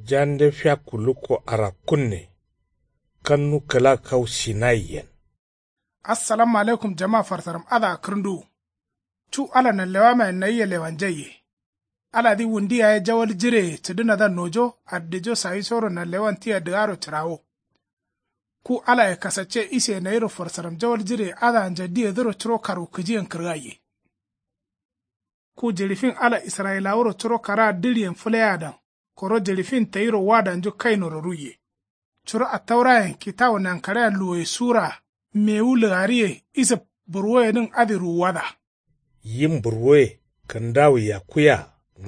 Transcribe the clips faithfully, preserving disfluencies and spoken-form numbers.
Jande fiakku lukko arakkunne. Kannu kǝla kau sinayiyen. Assalamu alaikum jama farsaram adǝa kǝrǝnduwu. Cu ala nanlewamayen nayia lewanjaiye. Aladǝ wundi yaye jawal jireye cǝdǝnadǝa nojo addijo sayisoro nanlewan tia dǝgaro cǝrawo. Ku alaye kasacce isiye nayiro farsaram jawal jireye adǝa njaddiyedǝro curo karwukǝjiyen kǝrgaiye. Ku jiɍi fin ala israyilawuro curo karaa dǝɍiyen fǝleyadan koro jiɍi fin tayiro wadanju kainoro ruiye. Curo attaurayen kitawu nankaɍeya luwoye sura mewu lǝgariye isǝb burwoyedǝn adǝ ruwuwada. Yim burwoye kǝndawu yakkuya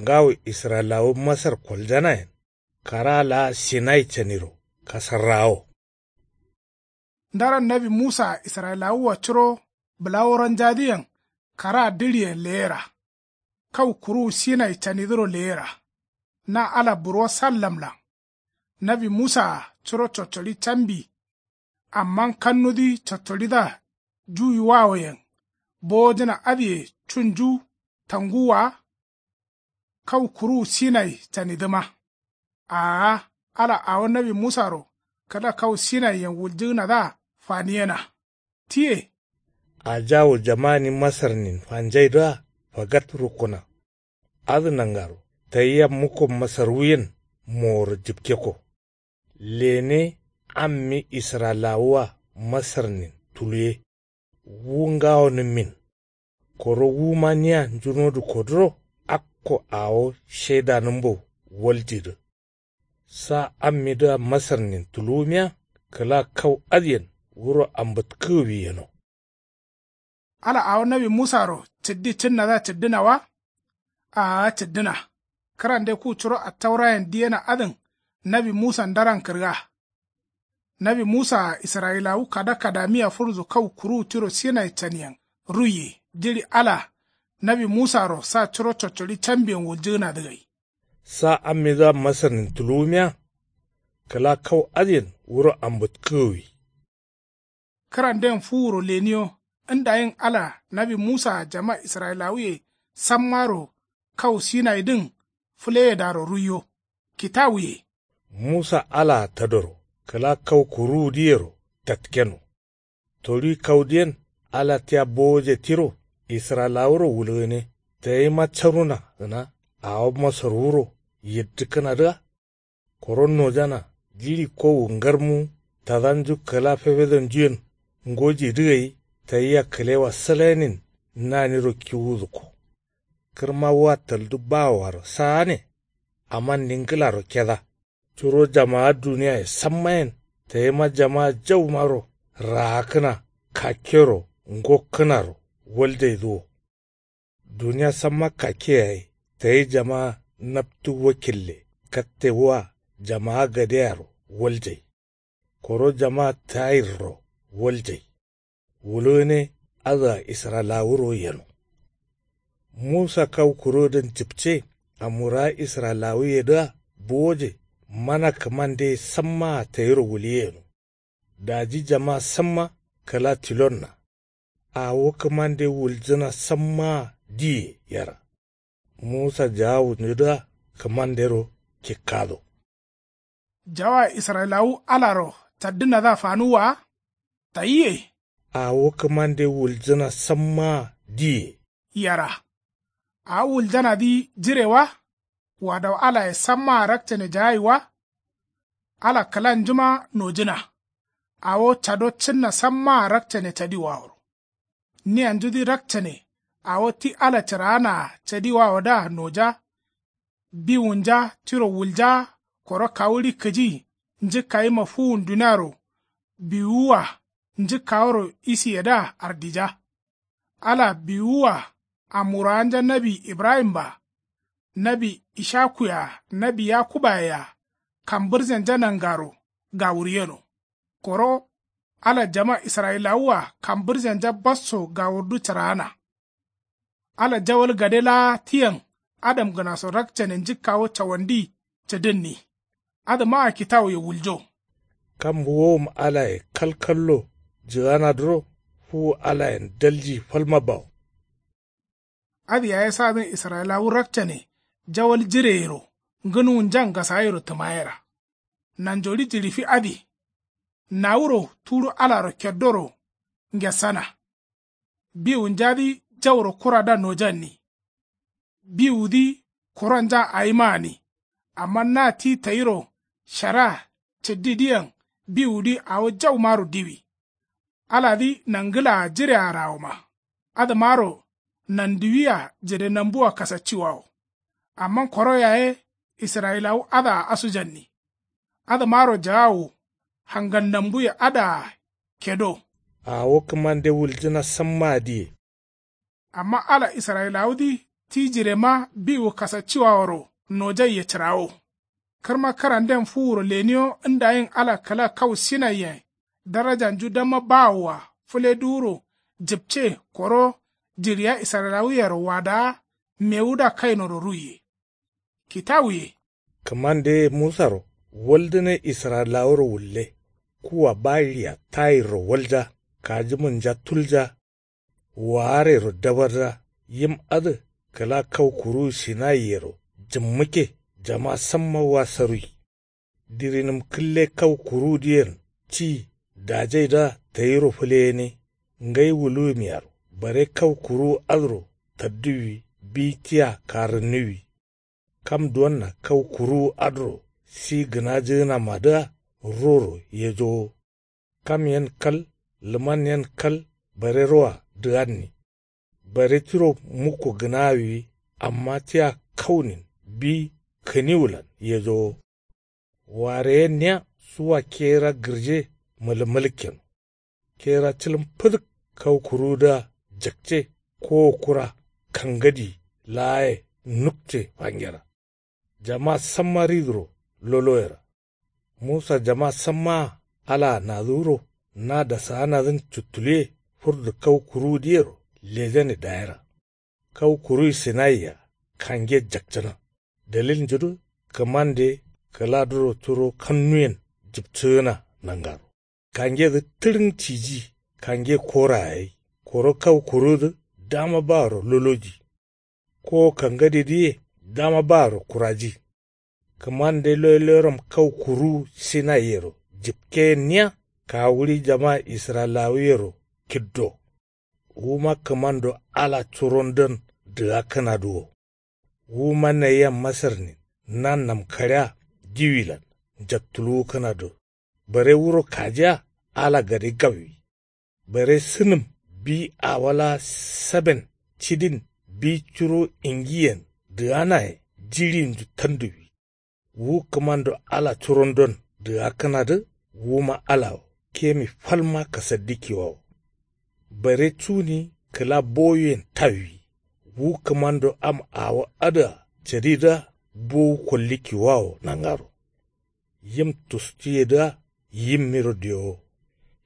ngawo israyilawu masar koljanayen karaa laa sinai caniro kasarrawo. Ndaran nawi musaa israyilawua curo bǝlaworonjadǝyen karaa dǝɍiyen leyera. Kau kuruwu sinai canidǝro leyera. Na ala burwo sallamlan. Nawi musaa curo coccoɍi cambi. Amma kannudǝ coccoɍidǝa juwiwawoyen bowojǝna adǝye cunju tanguwwa wa. Kau kuruwu sinai canidǝma. Aa ala awo nawi musaro kǝla kau sinaiyen wuljǝgǝnadǝa faniyena. Tiye. Ajawu jamani masarnin fanjaidǝa fagat rukkuna. Adǝ nangaro tayia mukko masarwuyen moworo jǝpkekko. Lene ammi israyilawua masarnin tuluwe. Wu ngawonǝmmin. Koro wuma nia njunodǝ koduro akko awo shaidanǝmbo waljidǝ. Sa ammidǝa masarnin tuluwumiya kǝla kau adǝyen wuro ambǝtkǝgǝwi yeno. Ala awo nawi musaro cǝddi cǝnnadǝa cǝddǝna wa. Aa cǝddǝna. Kǝrande ku curo attaurayen diyena adǝn nawi musa ndaran kǝrga. Nawi musaa israyilawu kada kadamiya furzu kau kuruwu tiro sinai caniyen ruiye jiɍi ala nawi musaro sa curo coccoɍi cambiyen wuljǝgǝnadǝ gai. Sa ammidǝa masarnin tuluwumiya kǝla kau adǝyen wuro ambǝtkǝgǝwi. Kǝranden fuwuro leniyo ndayin ala nawi musaa jama israyilawuye sammaro kau sinaidǝn fǝleyedaro ruiyo. Kitawuye. Musa alaa tadoro kǝla kau kuruwudǝyero tatkeno. Toɍi kaudǝyen ala tia bowoje tiro israyilawuro wulgǝne. Tayima caruna gǝna awo masarwuro yiddǝkkǝnadǝa. Koro nojana jiɍi kowu ngarmu tadanju kǝla fefedonjuyen ngojidǝ gai tayia kǝlewa sǝlainin naniro kiwudǝkko. Kǝrma wa taldu bawoaro saane. Amma ningǝlaro keda. Curo jamaa duniyaye sammayen tayima jamaa jaumaro raakkǝna kakkero ngokkǝnaro waljaidǝ wo. Duniya samma kakke yayi tayi jamaa naptu wakille katte wa jamaa gadeyaro waljai. Koro jamaa tayirro waljai. Wulgǝne adǝa israyilawuro yeno. Musa kau kurodǝn jǝpce amwurawa israyilawuyedǝa bowoje mana kǝmandeye sammaa tayiro wulye yeno. Daji jama samma kǝla tilonna. Awo kǝmande wuljǝna sammaa diye yera. Musa jawawunjudǝa kǝmandero kikkado. Jawaa israyilawu alaro caddǝnadǝa fanuwwa wa. Tayiye. Awo kǝmande wuljǝna sammaa diye. Yera. Awo wuljanadǝ jire wa. Wadawu alaye sammaa rakcane jagaiwa. Ala kǝlanjuma nojǝna. Awo cado cǝnna sammaa rakcane cadiwaworo. Niyanjudǝ rakcane awo ti ala cǝraanaa cadiwawodǝa noja. Biwunja tiro wulja. Koro kawuɍi kǝji njǝkkayima fuwun duniaro biwuwa njǝkkaworo isiyedǝa ardija. Ala biwuwa amwurawanja nawi ibrahim-a nawi ishaku-a nawi yakuba-a kambǝrjanja nangaro gawur yeno. Koro ala jama israyilawu-a kambǝrjanja basso gawurdu cǝraana. Ala jawal gade laa tiyen adamgǝnaso rakcane njǝkkawo cawandi cǝdǝnni. Adǝmaa kitawuye wuljo. Kam wowom alaye kalkallo jǝganadǝro fuwu alayen dalji falma bawo. Adǝ yaye sadǝn israyilawu rakcane jawal jireyero Ngǝnuwunjan gasayero tǝmayera. Nanjori jiɍifi adǝ. Nawuro tudu alaro keddoro ngessana. Biwunjadǝ jauro kurada nojanni. Biwudǝ kuronja awimaani. Amma na ti tayiro shara cǝddidǝyen biwudǝ awo jaumaro diwi. Aladǝ nangǝlaa jirearawoma. Adǝmaro nanduwiya jire nambua kasacciwawo. Amma koro yaye israyilawu adǝa asujanni. Adǝmaro jagawo hangal nambuye adǝa kedo. Awo kǝmande wuljǝna sammaa diye. Amma ala israyilawudǝ ti jirema biwu kasacciwaworo nojaiye cǝrawo. Kǝrma kǝranden fuwuro leniyo ndayin ala kǝla kau sinaiyen darajanju damma bawoa fǝleduwuro jǝpce koro jiɍiya israyilawuyero wadaa mewuda kainoro ruiye. Kitawuye. Kǝmandeye musaro waldǝne israyilawuro wulle. Kuwa bayiɍia tayirro walja kajimunja tulja. Waarero dabarda yim adǝ kǝla kau kuruwu sinaiyero jǝmmǝkke jama samma wasarui. Dirinǝm kǝlle kau kuruwudǝyen ci dajaidǝa tayiro fǝleyene. Ngai wuluwumiyaro bare kau kuruwu adǝro tadduwwi bi tia karǝnnuwwi. Kam duwanna kau kuruwu adǝro si gǝnajǝgǝnamadǝa roro yejowo. Kam yen kal lǝman yen kal bare roa dǝganni. Bare tiro mukko gǝnawiwi amma tia kaunin bi kǝniwulan yejowo. Wareyenniya suwa kera gǝrje mǝlǝmǝlǝkkeno. Kera cǝlǝm fǝdǝk kau kuruwudǝa jakce kowo kura kangadi laaye nukce fangera. Jama samma ridǝro loloyera. Musa jama sammaa alaa nadǝwuro na dasaanadǝn cuttuluwe fǝrdu kau kuruwudǝyero lejane dayera. Kau kuruwi sinaiya kange jakcǝna. Dalilnjudǝ kǝmande kǝladuro turo kannuyen jǝpcǝgǝna nangaro. Kangedǝ tǝɍǝng ciji kange koraye gai. Koro kau kuruwudǝ dama baro loloji. Kowo kangadidǝye dama baro kuraji. Kǝmande loyloyeram kau kuruwu sinaiyero jǝpkeyenniya kawuɍi jama israyilawuyero kiddo. Wuma kǝmando ala curondon dǝgakkǝnadǝ wo. Wuma nayia masarnin na namkaɍea diwilan njattuluwukkǝnadǝ. Bare wuro kajiya ala gade gawwi. Bare sǝnǝm bi awo laa saben cidin bi curo ingiyen dǝganaye jiɍinju tanduwwi. Wu kǝmando ala curondon dǝgakkǝnadǝ wuma ala wo kemi falma kasaddikkiwawo. Bare cuni kǝla bowuyen tawwi. Wu kǝmando am awo adǝa cadidǝa bowu kollikkiwawo nangaro. Yim tustuyedǝa yimmiro diyowo.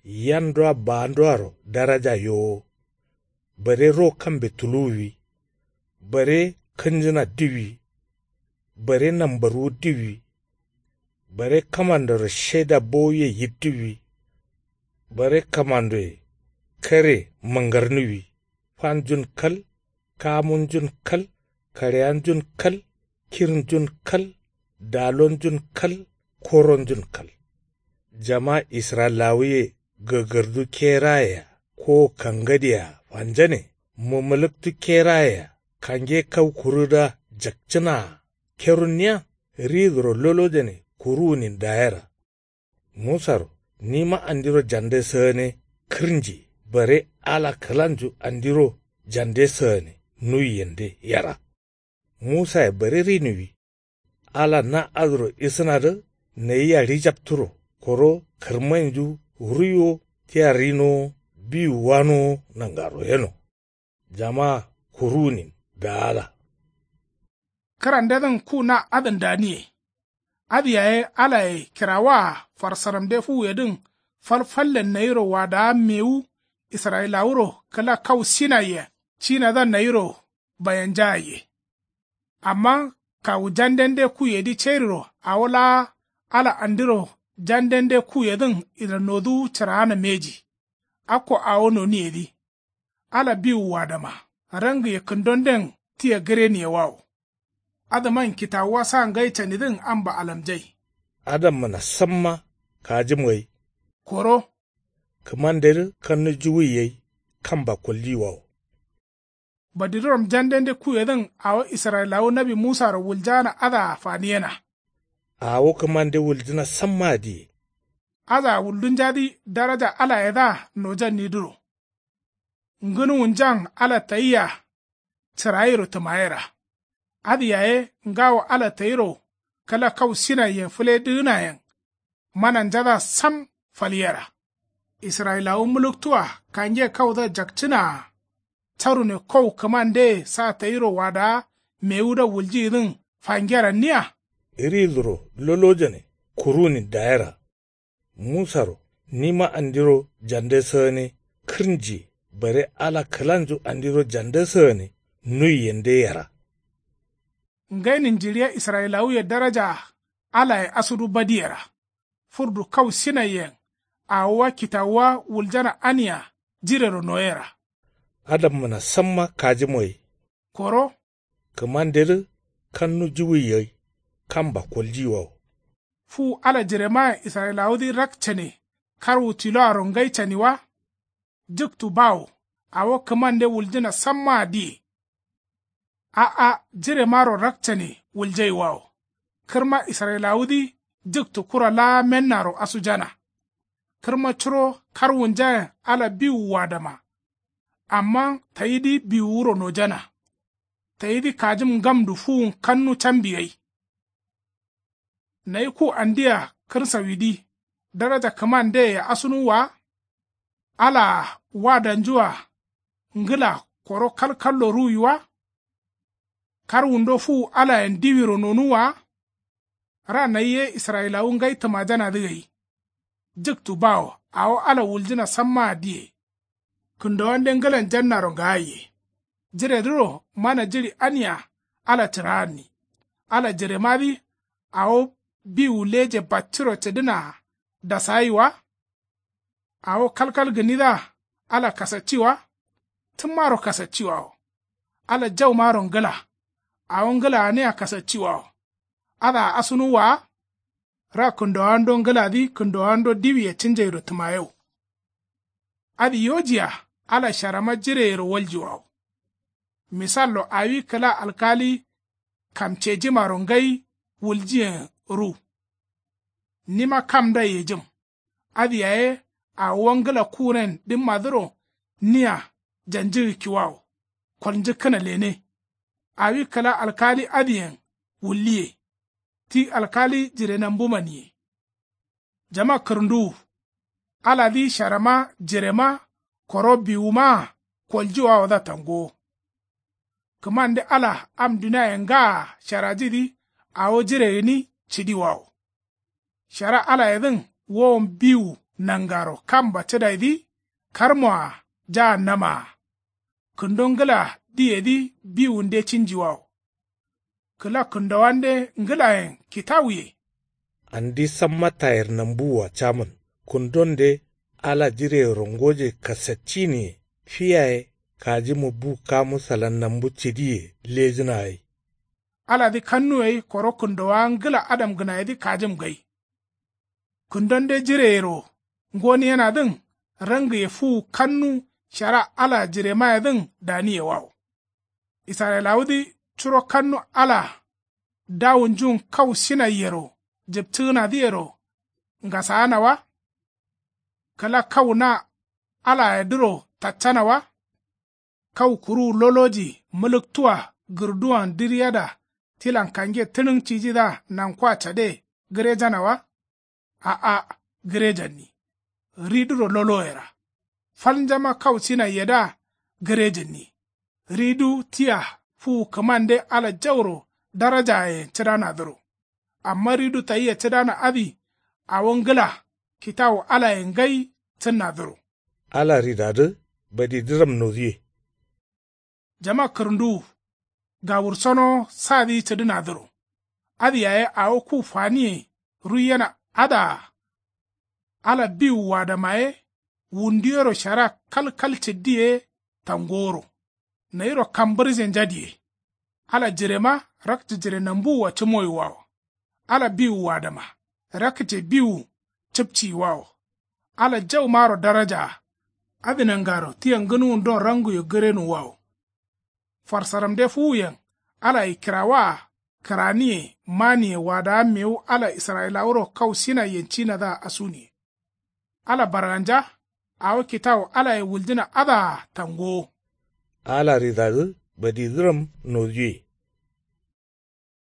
Yandua baanduaro daraja yowo. Bare ro kambe tuluwwi. Bare kǝnjǝna diwwi. Bare nambarwu diwwi. Bare kǝmandoro sheda bowuye yiddiwwi. Bare kǝmandoye kare mǝngarniwwi. Fanjun kal kamunjun kal kaɍeyanjun kal kirnjun kal dalonjun kal koronjun kal. Jama israyilawuye gǝgǝrdu kerayea ko kangadea fanjane mǝmǝlǝktu kerayea kange kau kuruwudǝa jakcǝnaa kerunniya ridǝro lolojane kuruwunin dayera. Musaro nima andiro jande sǝgane kǝrnji bare ala kǝlanju andiro jande sǝgane nuwiyende yera. Musaye bare rinuwi. Ala na adǝro isǝnadǝ nayia ɍijapturo koro kǝrmainju ruiwo tia rinowo biwu wanowo nangaro yeno. Jama kuruwunin daala. Kǝrandedǝn ku na adǝn daniye. Adǝ yaye alaye kirawaa farsaramde fuwuyedǝn falfallen nayiro wadaa mewu israyilawuro kǝla kau sinaiyen cinadǝa nayiro bayanjagaiye. Amma kawu jandende kuyedǝ cairiro awo laa ala andiro jandende kuyedǝn ilanoduwu cǝraana mbeji. Akko awo noniyedǝ ala biwu wadama rangǝye kǝndonden tia gǝreniyewawo. Adǝman kitawuwa sa ngai canidǝn amba alamjai. Adammǝna samma kajǝm gai. Koro. Kǝmandedǝ kannu juwuyi gai kamba koljiyiwawo. Badiduram jandende kuyedǝn awo israyilawu nawi musaro wuljaana adǝa faniyena. Awo kǝmande wuljǝna sammaa diye. Adǝa wuldunjadǝ daraja alayedǝa nojannidǝro. Ngǝnuwunjan ala tayia cǝrayiro tǝmayera. Adǝ yaye ngawo ala tayiro kǝla kau sinaiyen fǝledǝgǝnayen mananjadǝa sam falyera. Israyilawu mǝlǝktuwa kange kaudǝa jakcǝnaa. Carune kau kǝmandeye sa tayiro wadawa mewudǝa wuljiyidǝn fangeranniya. Riduro lolojane kurunin dayera. Musaro nima andiro jande sǝgǝne kǝrnjiye bare ala kǝlanju andiro jande sǝgǝne nuiyende yera. Ngainin jiɍiya israyilawuye darajaa alaye asudu badiyera. Furdu kau sinaiyen awowa kitawuwa wuljana ania jirero noyera. Adammǝna samma kajǝm gai. Koro. Kǝmandedǝ kannu juwuyi gai kamba koljiyiwawo. Fuwu ala jiremayen israyilawudǝ rakcane karwu tiloaro ngai caniwa. Jǝktu bawo awo kǝmande wuljǝna sammaa diye. A'a jiremaro rakcane wuljaiwawo. Kǝrma israyilawudǝ jǝktu kura laa mennaro asujana. Kǝrma curo karwunjayen ala biwu wadama. Amma tayidǝ biwuwuro nojana. Tayidǝ kajǝm ngamdu fuwun kannu cambi gai. Nayi ku andia kǝrsawidǝ daraja kǝmandeye asunuwwa wa. Alaa wadanjua ngǝla koro kalkallo ruwiwa. Karwundo fuwu alayen diwiro nonuwwa wa. Ra nayi ye israyilawu ngai tǝmajanadǝ gai. Jǝktu bawo awo ala wuljǝna sammaa diye. Kǝndowande ngǝlan jannaro ngaaye. Jiredǝro mana jiɍi ania ala cǝraanni. Ala jiremadǝ awo biwu leje bacciro cǝdǝnaa dasagai wa. Awo kalkal gǝnidǝa ala kasacci wa. Tǝmmaro kasacciwawo. Ala jaumaro ngǝla. Awo ngǝlaanea kasacciwawo. Adǝa asunuwwa wa. Ra kǝndowando ngǝladǝ kǝndowando diwiye cǝnjairo tǝmayau. Adǝ yojiya ala sharama jireyero waljiwawo. Misallo awi kǝla alkali kamcejimaro ngai wuljiyen ru. Nima kamdai yejǝm. Adǝ yaye awowa ngǝla kuren dǝmmadǝro nia janjǝgǝkkiwawo. Kolnjǝkkǝna lene. Awi kǝla alkali adǝyen wulliye. Ti alkali jirenambumaniye. Jama kǝrǝnduwu. Aladǝ sharama jirema koro biwumaa koljiwawodǝa tangowo. Kǝmande ala am duniaye ngaa sharajidǝ awo jire gǝni cǝdiwawo. Shara alayedǝn wowon biwu nangaro kamba cǝdaidǝ karmoa jaa namaa. Kǝndo ngǝla diyedǝ biwunde cǝnjiwawo. Kǝla kǝndowande ngǝlayen kitawuye. Andi samma tayir nambuwua camǝn kǝndonde ala jireyero ngoje kasaccinǝye fiyaye kajǝmǝ bu kamu salan nambu cǝdiye lejǝna gai. Aladǝ kannu gai koro kǝndowawa ngǝla adamgǝnayedǝ kajǝm gai. Kǝndonde jireyero ngoniyenadǝn rangǝye fuwu kannu shara ala jiremayedǝn daniyewawo. Israyilawudǝ curo kannu ala dawunjun kau sinaiyero jǝptǝgǝnadǝyero ngasaana wa. Kǝla kau na alayedǝro taccana wa. Kau kuruwu loloji mǝlǝktuwa gǝrduwan dǝriyada tilan kange tǝnǝn cijidǝa nankoa cade gǝrejana wa. A'a gǝrejanni. Riduro loloyera. Falnjama kau sinaiyedǝa gǝrejanni. Ridu tia fuwu kǝmande ala jauro darajayen cǝdanadǝro. Amma ridu tayia cǝdana adǝ awo ngǝla kitawu alayen ngai cǝnnadǝro. Ala ridadǝ badidǝram noduwe. Jama kǝrǝnduwu. Gawursonowo sadǝ cǝdǝnadǝro. Adǝ yaye awo ku faniye ruiyena adǝa. Ala biwu wadama ye wunduyero shara kalkal cǝddi ye tangoworo. Nayiro kambǝrje njadiye. Ala jirema rakce jire nambuwua cǝmoyiwawo. Ala biwuwa dǝma rakce biwu cǝpciyiwawo. Ala jaumaro darajaa. Adǝ nangaro tia ngǝnuwundon ranguye gǝrenuwwawo. Farsaramde fuwuyen alaye kirawaa kǝraniye maniye wadawa mewu ala israyilawuro kau sinaiyen cinadǝa asuniye. Ala barganja awo kitawu alaye wuljǝna adǝa tangowo. Ala ridadǝ badidǝram nojuwe.